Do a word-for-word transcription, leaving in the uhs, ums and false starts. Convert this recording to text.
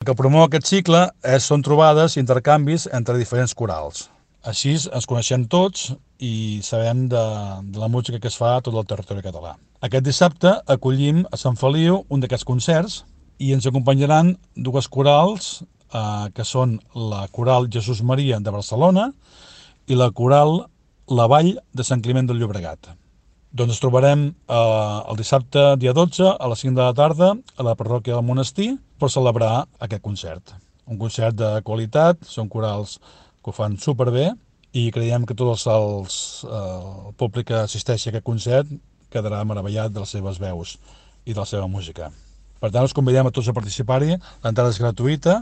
El que promou aquest cicle és, són trobades i intercanvis entre diferents corals. Així ens coneixem tots i sabem de, de la música que es fa a tot el territori català. Aquest dissabte acollim a Sant Feliu un d'aquests concerts i ens acompanyaran dues corals, eh, que són la Coral Jesús Maria de Barcelona i la Coral La Vall de Sant Climent del Llobregat. Doncs ens trobarem eh, el dissabte dia dotze a les cinc de la tarda a la parròquia del Monestir per celebrar aquest concert. Un concert de qualitat, són corals que ho fan superbé i creiem que tot els, els, eh, el públic que assisteixi a aquest concert quedarà meravellat de les seves veus i de la seva música. Per tant, us convidem a tots a participar-hi, l'entrada és gratuïta